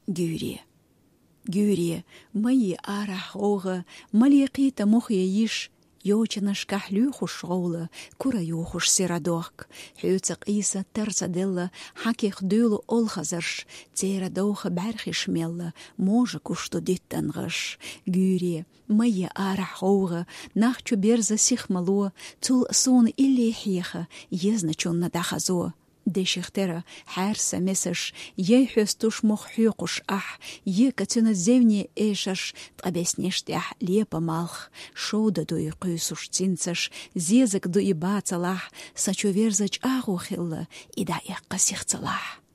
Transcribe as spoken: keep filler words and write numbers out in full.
Гуьйре. Гуьйре, ма йий арахь гӀовгӀа, ма ле кхийта мох я йиш, йочанашкахь луьйхуш гӀовла, кура юхуш сира дохк. Хьоьца къийса тарца делла, хьаких дуьйлу олхазарш, церан довха бӀаьрхиш мелла, можа гуш ду диттан гӀаш. Гуьйре, ма йий арахь гӀовгӀа, нах чу берза сих ма ло, цул суна илли хьеха, езначунна дӀахазо. Деших тера хьаьрса месаш, яй хьоьстуш мох хьоькхуш ахь, ека цуьнан зевне эшаш, ткъа беснеш тӀехь лепа малх, шовда дуй кхуьйсуш цинцаш, зезаг дуй бацалахь, са чу верза чӀагӀо хилла, и дӀаэккха сих ца лахь.